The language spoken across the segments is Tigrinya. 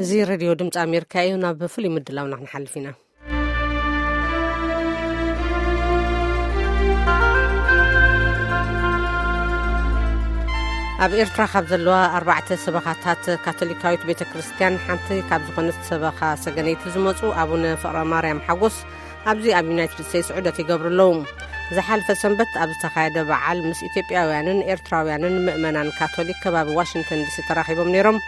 እዚ ሬድዮ ድምፂ ኣሜሪካ እዩ። ናብ ፍሉይ ምድላውና ክንሓልፍ ኢና። ኣብ ኤርትራ ካብ ዘለዋ ኣርባዕተ ሰበኻታት ካቶሊካዊት ቤተ ክርስቲያን ሓንቲ ካብ ዝኾነት ሰበኻ ሰገነይቲ ዝመፁ ኣቡነ ፍቕረ ማርያም ሓጎስ ኣብዚ ኣብ ዩናይትድ ስቴትስ ዑደት ይገብሩ ኣለዉ። ዝሓለፈ ሰንበት ኣብ ዝተኻየደ በዓል ምስ ኢትዮጵያውያንን ኤርትራውያንን ምእመናን ካቶሊክ ከባቢ ዋሽንግተን ዲሲ ተራኺቦም ነይሮም።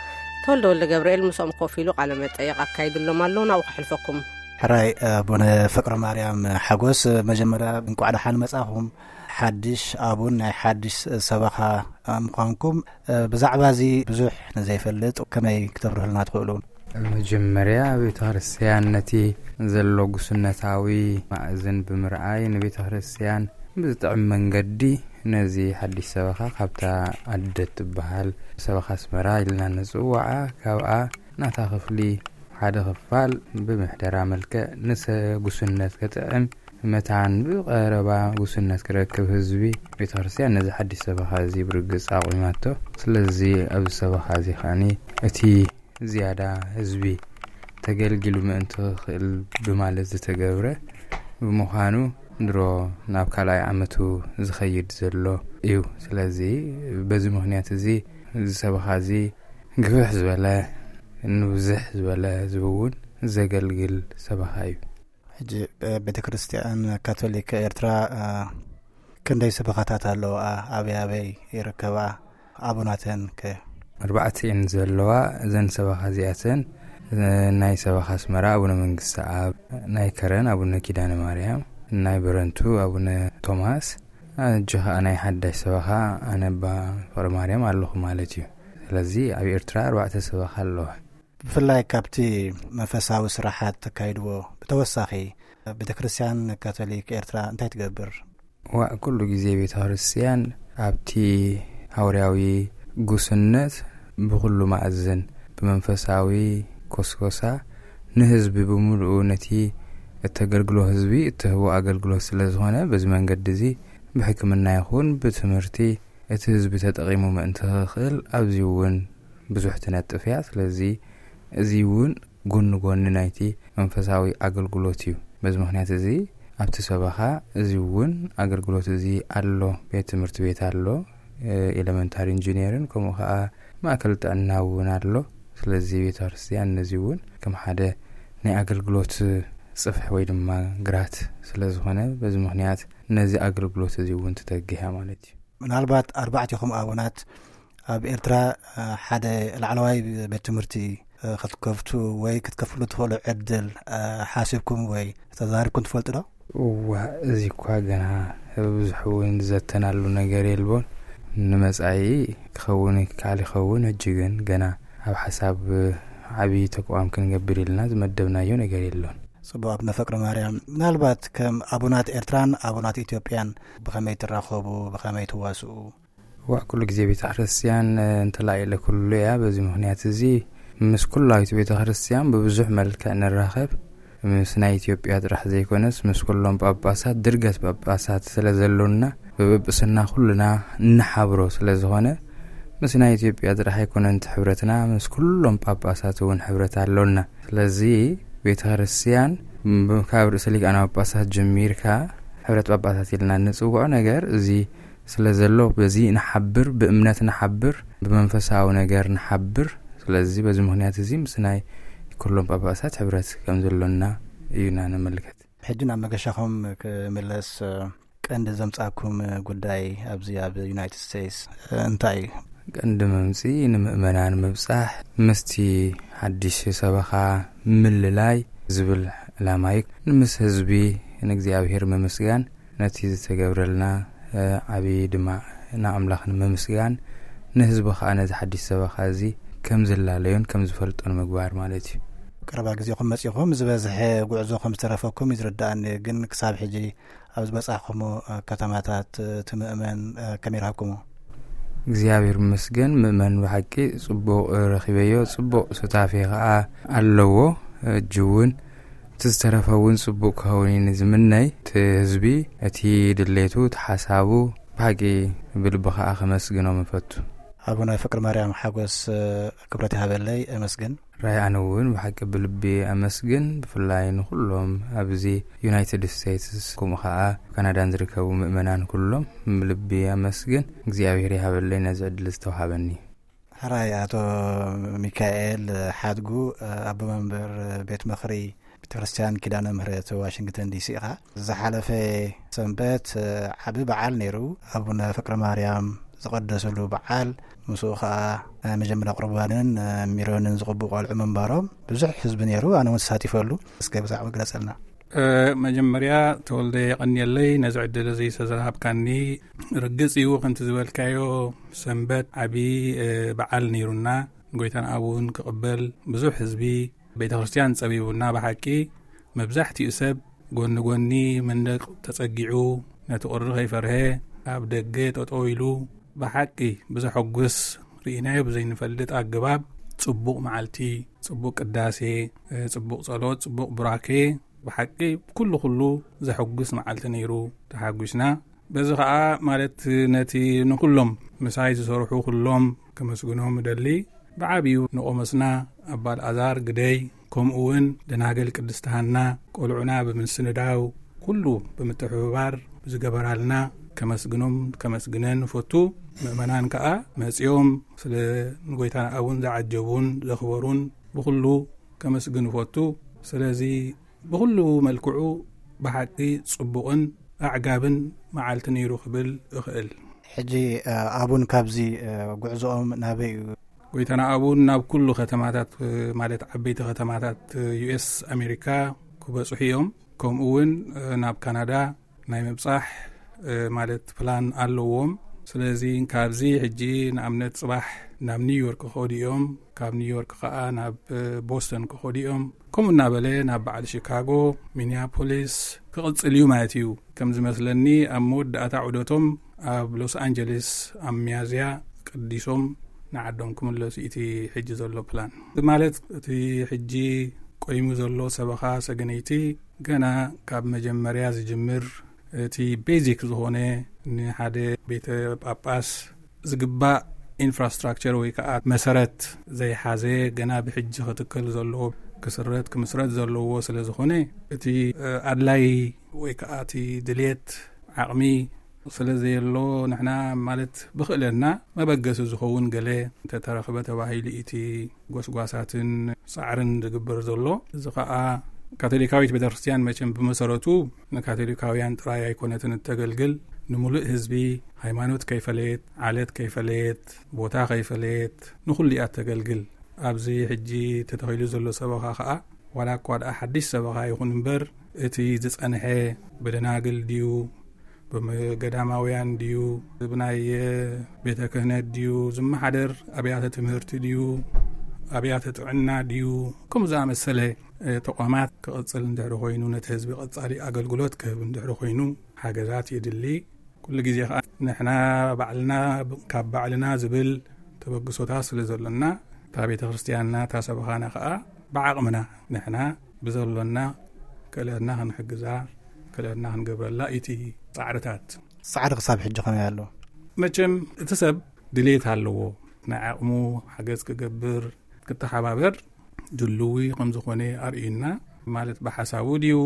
ተወልደ ወልደ ገብርኤል ምስኦም ኮፍ ኢሉ ቃለ መጠይቕ ኣካይድሎም ኣሎ። ናብኡ ከሕልፈኩም። ሕራይ ኣቡነ ፍቅረ ማርያም ሓጎስ፣ መጀመርያ እንቋዕ ደሓን መጻኹም። ሓድሽ ኣቡን ናይ ሓድሽ ሰበኻ ምዃንኩም፣ ብዛዕባ እዚ ብዙሕ ንዘይፈልጥ ከመይ ክተብርህልና ትኽእሉ? መጀመርያ ቤተ ክርስቲያን ነቲ ዘሎ ጉስነታዊ ማእዝን ብምርኣይ፣ ንቤተ ክርስቲያን ብዝጥዕም መንገዲ ነዚ ሓድሽ ሰበኻ ካብታ ኣደ ትበሃል ሰበኻ ኣስመራ ኢልና ንጽውዓ፣ ካብኣ ናታ ክፍሊ ሓደ ክፋል ብምሕደራ መልክዕ ንሰ ጉስነት ከጥዕም፣ መታን ብቐረባ ጉስነት ክረክብ ህዝቢ ቤተ ክርስቲያን ነዚ ሓድሽ ሰበኻ እዚ ብርግጽ ኣቑማቶ። ስለዚ ኣብዚ ሰበኻ እዚ ከኣኒ እቲ ዝያዳ ህዝቢ ተገልጊሉ ምእንቲ ክኽእል ብማለት ዝተገብረ ብምዃኑ፣ ድሮ ናብ ካልኣይ ዓመቱ ዝኸይድ ዘሎ እዩ። ስለዚ በዚ ምኽንያት እዚ፣ እዚ ሰበኻ እዚ ግፍሕ ዝበለ፣ ንብዝሕ ዝበለ ህዝቢ እውን ዘገልግል ሰበኻ እዩ። ሕጂ፣ እ፣ ቤተ ክርስቲያን ካቶሊክ ኤርትራ፣ እ፣ ክንደይ ሰበኻታት ኣለዋ? ኣበይ ኣበይ ይርከባ? ኣቡናተን ከ? ኣርባዕተ እየን ዘለዋ። እዘን ሰበኻ እዚኣተን፣ እ፣ ናይ ሰበኻ ኣስመራ ኣቡነ መንግስተ ኣብ፣ ናይ ከረን ኣቡነ ኪዳነ ማርያም፣ ናይ በረንቱ ኣቡነ ቶማስ፣ ሕጂ ኸኣ ናይ ሓዳሽ ሰበኻ ኣነ ኣባ ፍቕረ ማርያም ኣለኹ ማለት እዩ። ስለዚ ኣብ ኤርትራ ኣርባዕተ ሰበኻ ኣለዋ። ብፍላይ ካብቲ መንፈሳዊ ስራሓት ተካይድዎ ብተወሳኺ፣ ቤተ ክርስቲያን ካቶሊክ ኤርትራ እንታይ ትገብር? ዋእ፣ ኩሉ ግዜ ቤተ ክርስቲያን ኣብቲ ሃዋርያዊ ጉስነት ብኹሉ ማእዝን ብመንፈሳዊ ኮስኮሳ ንህዝቢ ብምሉኡ ነቲ እተገልግሎ ህዝቢ እትህቦ ኣገልግሎት ስለ ዝኾነ፣ በዚ መንገዲ እዚ ብሕክምና ይኹን ብትምህርቲ እቲ ህዝቢ ተጠቒሙ ምእንቲ ክኽእል ኣብዚ እውን ብዙሕ ትነጥፍ እያ። ስለዚ እዚ እውን ጎኒ ጎኒ ናይቲ መንፈሳዊ ኣገልግሎት እዩ። በዚ ምኽንያት እዚ ኣብቲ ሰበኻ እዚ እውን ኣገልግሎት እዚ ኣሎ። ቤት ትምህርቲ ቤት ኣሎ፣ እ፣ ኤለመንታሪ ኢንጂነርን ከምኡ ኸዓ ማእከል ጥዕና እውን ኣሎ። ስለዚ ቤተ ክርስቲያን ነዚ እውን ከም ሓደ ናይ ኣገልግሎት ጽፍሒ ወይ ድማ ግራት ስለ ዝኾነ፣ በዚ ምኽንያት ነዚ ኣገልግሎት እዚ እውን ትተግህ እያ ማለት እዩ። ምናልባት ኣርባዕቲኹም ኣቡናት ኣብ ኤርትራ፣ እ፣ ሓደ ላዕለዋይ ቤት ትምህርቲ፣ እ፣ ክትከፍቱ ወይ ክትከፍሉ ትኽእሉ ዕድል፣ እ፣ ሓሲብኩም ወይ ተዛሪብኩም ትፈልጡ ዶ? እዋ፣ እዚ እኳ ገና ብዙሕ እውን ዝዘተናሉ ነገር የልቦን። ንመጻኢ ክኸውን ይከኣል ይኸውን፣ ሕጂ ግን ገና ኣብ ሓሳብ ዓቢ ተቋም ክንገብር ኢልና ዝመደብናዮ ነገር የሎን። ጽቡቕ ኣቡነ ፍቅረ ማርያም፣ ምናልባት ከም ኣቡናት ኤርትራን ኣቡናት ኢትዮጵያን ብኸመይ ትራኸቡ፣ ብኸመይ ትዋስኡ? ዋእ፣ ኩሉ ግዜ ቤተ ክርስቲያን፣ እ፣ እንተላኢለ ኩሉ እያ። በዚ ምኽንያት እዚ ምስ ኩላዊት ቤተ ክርስቲያን ብብዙሕ መልክዕ ንራኸብ። ምስ ናይ ኢትዮጵያ ጥራሕ ዘይኮነስ ምስ ኩሎም ጳጳሳት፣ ድርገት ጳጳሳት ስለ ዘሎና፣ ብጵጵስና ኩልና እንሓብሮ ስለ ዝኾነ፣ ምስ ናይ ኢትዮጵያ ጥራሕ ኣይኮነን እቲ ሕብረትና፣ ምስ ኩሎም ጳጳሳት እውን ሕብረት ኣሎና። ስለዚ ቤተ ክርስቲያን ብ-፣ ካብ ርእሰ ሊቃነ ጳጳሳት ጀሚርካ ሕብረት ጳጳሳት ኢልና እንጽውዖ ነገር እዚ ስለ ዘሎ፣ በዚ ንሓብር፣ ብእምነት ንሓብር፣ ብመንፈሳዊ ነገር ንሓብር። ስለዚ በዚ ምኽንያት እዚ ምስ ናይ ኩሎም ጳጳሳት ሕብረት ከም ዘሎና እዩና ነመልከት። ሕጂ ናብ መገሻኹም ክምለስ፣ ቀንዲ ዘምጻኩም ጉዳይ ኣብዚ ኣብ ዩናይትድ ስቴትስ እንታይ እዩ? ቀንዲ መምጽኢ ንምእመናን ምብጻሕ፣ ምስቲ ሓድሽ ሰበኻ ምልላይ ዝብል ዕላማ እዩ። ምስ ህዝቢ ንእግዚኣብሔር ምምስጋን፣ ነቲ ዝተገብረልና፣ እ፣ ዓቢ ድማ ንኣምላኽ ንምምስጋን፣ ንህዝቢ ኸኣ ነዚ ሓድሽ ሰበኻ እዚ ከም ዝላለዮን ከም ዝፈልጦን ምግባር ማለት እዩ። ቀረባ ግዜኹም መጺኹም፣ ዝበዝሐ ጉዕዞ ከም ዝተረፈኩም እዩ ዝርድኣኒ፣ ግን ክሳብ ሕጂ ኣብ ዝበጻሕኩሞ፣ እ፣ ከተማታት፣ እ፣ እቲ ምእመን፣ እ፣ ከመይ ረኸብኩሞ? እግዚኣብሔር ይመስገን፣ ምእመን ብሓቂ ጽቡቕ ረኺበዮ፣ ጽቡቕ ሱታፌ ኸኣ ኣለዎ። ሕጂ እውን እቲ ዝተረፈ እውን ጽቡቕ ክኸውን እዩ ዝምነይ። እቲ ህዝቢ፣ እቲ ድሌቱ፣ እቲ ሓሳቡ ብሓቂ ብልቢ ኸኣ ከመስግኖም እፈቱ። ኣቡነ ፍቅሪ ማርያም ሓጎስ፣ እ፣ ክብረት ይሃበለይ፣ እመስግን። ራይ ኣነ እውን ብሓቂ ብልቢ ኣመስግን፣ ብፍላይ ንኩሎም ኣብዚ ዩናይትድ ስቴትስ፣ ከምኡ ከዓ ካናዳን ዝርከቡ ምእመናን ኩሎም ብልቢ ኣመስግን። እግዚኣብሔር ይሃበለይ ነዚ ዕድል ዝተውሃበኒ። ሕራይ ኣቶ ሚካኤል ሓድጉ፣ ኣቦ መንበር ቤት ምኽሪ ቤተክርስትያን ኪዳነ ምህረት ዋሽንግተን ዲሲ ኢኻ። ዝሓለፈ ሰንበት ዓቢ በዓል ነይሩ፣ ኣቡነ ፍቅረ ማርያም ዝቐደስሉ በዓል። ምስኡ ኸዓ ናይ መጀመርያ ቁርባንን ሚሮንን ዝቕቡ ቆልዑ ምንባሮም ብዙሕ ህዝቢ ነይሩ፣ ኣነ እውን ተሳቲፈሉ። እስከ ብዛዕባ ግለጸልና። መጀመርያ ተወልደ የቐንየለይ ነዚ ዕድል እዚ ዝተዘሃብካኒ። ርግጽ እዩ ከምቲ ዝበልካዮ ሰንበት ዓቢ በዓል ነይሩና። ጎይታን ኣቡን ክቕበል ብዙሕ ህዝቢ ቤተ ክርስቲያን ጸቢቡና። ብሓቂ መብዛሕትኡ ሰብ ጎኒ ጎኒ መንደቕ ተጸጊዑ ነቲ ቁሪ ከይፈርሀ ኣብ ደገ ጠጠው ኢሉ ብሓቂ ብዘሐጉስ ርኢናዮ ብዘይንፈልጥ ኣገባብ ጽቡቕ መዓልቲ፣ ጽቡቕ ቅዳሴ፣ ጽቡቕ ጸሎት፣ ጽቡቕ ቡራኬ፣ ብሓቂ ኩሉ ኩሉ ዘሐጉስ መዓልቲ ነይሩ። ተሓጒስና። በዚ ኸዓ ማለት ነቲ ንኩሎም ምሳይ ዝሰርሑ ኩሎም ከመስግኖም እደሊ። ብዓብዩ ንቆሞስና ኣባ ኣልኣዛር ግደይ፣ ከምኡ እውን ደናግል ቅድስት ሃና ቆልዑና ብምስንዳው ኩሉ ብምትሕብባር ብዝገበራልና ከመስግኖም ከመስግነን እፈቱ። ምእመናን ከኣ መጺኦም ስለ ንጎይታና ኣቡን ዝዓጀቡን ዘኽበሩን ብኹሉ ከመስግን እፈቱ። ስለዚ ብኹሉ መልክዑ ብሓቂ ጽቡቕን ኣዕጋብን መዓልቲ ነይሩ ክብል እኽእል። ሕጂ ኣቡን ካብዚ ጉዕዞኦም ናበይ እዩ? ጎይታና ኣቡን ናብ ኩሉ ከተማታት፣ ማለት ዓበይቲ ከተማታት ዩኤስ ኣሜሪካ ክበጽሑ እዮም። ከምኡ እውን ናብ ካናዳ ናይ ምብጻሕ ማለት ፕላን ኣለዎም። ስለዚ ካብዚ ሕጂ ንኣብነት ጽባሕ ናብ ኒውዮርክ ክኸዱ እዮም። ካብ ኒውዮርክ ከኣ ናብ ቦስተን ክኸዱ እዮም። ከምኡ እናበለ ናብ በዓል ሺካጎ፣ ሚኒያፖሊስ ክቕጽል እዩ ማለት እዩ። ከም ዝመስለኒ ኣብ መወዳእታ ዑደቶም ኣብ ሎስ ኣንጀለስ ኣብ ሚያዝያ ቀዲሶም ንዓዶም ክምለሱ እቲ ሕጂ ዘሎ ፕላን። ማለት እቲ ሕጂ ቆይሙ ዘሎ ሰበኻ ሰገነይቲ ገና ካብ መጀመርያ ዝጅምር፣ እቲ ቤዚክ ዝኾነ ንሓደ ቤተ ጳጳስ ዝግባእ ኢንፍራስትራክቸር ወይ ከዓ መሰረት ዘይሓዘ፣ ገና ብሕጂ ክትከል ዘለዎ፣ ክስረት ክምስረት ዘለዎ ስለ ዝኾነ፣ እቲ ኣድላይ ወይ ከዓ እቲ ድልየት ዓቕሚ ስለ ዘየሎ፣ ንሕና ማለት ብኽእለትና መበገሲ ዝኸውን ገለ እንተተረኽበ ተባሂሉ እቲ ጎስጓሳትን ጻዕርን ዝግበር ዘሎ። እዚ ኸኣ ካቶሊካዊት ቤተክርስትያን መቸም ብመሰረቱ ንካቶሊካውያን ጥራይ ኣይኮነትን እተገልግል፣ ንምሉእ ህዝቢ፣ ሃይማኖት ከይፈለየት፣ ዓለት ከይፈለየት፣ ቦታ ከይፈለየት፣ ንኹሉ እያ እተገልግል። ኣብዚ ሕጂ ተተኺሉ ዘሎ ሰበኻ ኸኣ ዋላ እኳ ደኣ ሓድሽ ሰበኻ ይኹን እምበር፣ እቲ ዝጸንሐ ብደናግል ድዩ፣ ብገዳማውያን ድዩ፣ ብናይ ቤተ ክህነት ድዩ ዝመሓደር፣ ኣብያተ ትምህርቲ ድዩ፣ ኣብያተ ጥዕና ድዩ፣ ከምኡ ዝኣመሰለ ተቋማት ክቕጽል እንድሕሪ ኮይኑ፣ ነቲ ህዝቢ ቀጻሊ ኣገልግሎት ክህብ እንድሕሪ ኮይኑ፣ ሓገዛት የድሊ። ኩሉ ግዜ ኸኣ ንሕና ባዕልና ካብ ባዕልና ዝብል ተበግሶታት ስለ ዘሎና፣ እታ ቤተ ክርስቲያንና፣ እታ ሰበኻና ኸኣ ብዓቕምና ንሕና ብዘሎና ክእለትና ክንሕግዛ፣ ክእለትና ክንገብረላ እቲ ጻዕርታት። ጻዕሪ ክሳብ ሕጂ ከመይ ኣሎ? መቸም እቲ ሰብ ድሌት ኣለዎ፣ ናይ ዓቕሙ ሓገዝ ክገብር፣ ክተሓባበር ድልዊ ከም ዝኾነ ኣርእዩና። ማለት ብሓሳቡ ድዩ፣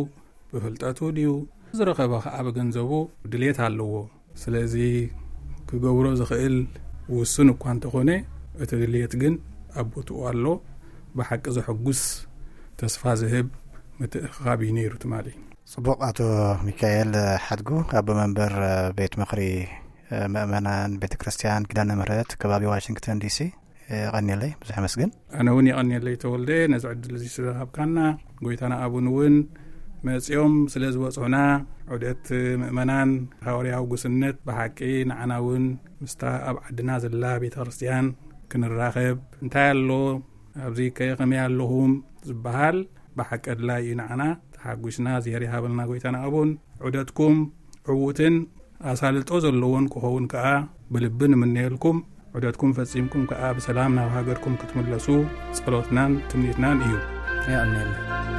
ብፍልጠቱ ድዩ፣ ዝረኸበ ኸኣ ብገንዘቡ ድሌት ኣለዎ። ስለዚ ክገብሮ ዝኽእል ውሱን እኳ እንተኾነ፣ እቲ ድሌት ግን ኣብ ቦትኡ ኣሎ። ብሓቂ ዘሐጉስ፣ ተስፋ ዝህብ ምትእኽኻብ እዩ ነይሩ ትማሊ። ጽቡቕ። ኣቶ ሚካኤል ሓድጉ፣ ኣቦ መንበር ቤት ምኽሪ ምእመናን ቤተ ክርስቲያን ኪዳነ ምሕረት ከባቢ ዋሽንግተን ዲሲ፣ የቐንየለይ፣ ብዙሕ ኣመስግን። ኣነ እውን የቐንየለይ ተወልደ፣ ነዚ ዕድል እዚ ስለሃብካና። ጎይታና ኣቡን እውን መጺኦም ስለ ዝበጽሑና፣ ዑደት ምእመናን ሃዋርያዊ ጉስነት ብሓቂ ንዓና እውን ምስታ ኣብ ዓድና ዘላ ቤተ ክርስቲያን ክንራኸብ፣ እንታይ ኣሎ ኣብዚ ከ ከመይ ኣለኹም ዝበሃል ብሓቂ ኣድላይ እዩ ንዓና። ተሓጒስና፣ እግዚኣብሔር ይሃበልና ጎይታና ኣቡን። ዑደትኩም ዕዉትን ኣሳልጦ ዘለዎን ክኸውን ከኣ ብልቢ ንምነየልኩም። ዑደትኩም ፈጺምኩም ከኣ ብሰላም ናብ ሃገርኩም ክትምለሱ ጸሎትናን ትምኒትናን እዩ። የቐንየልና።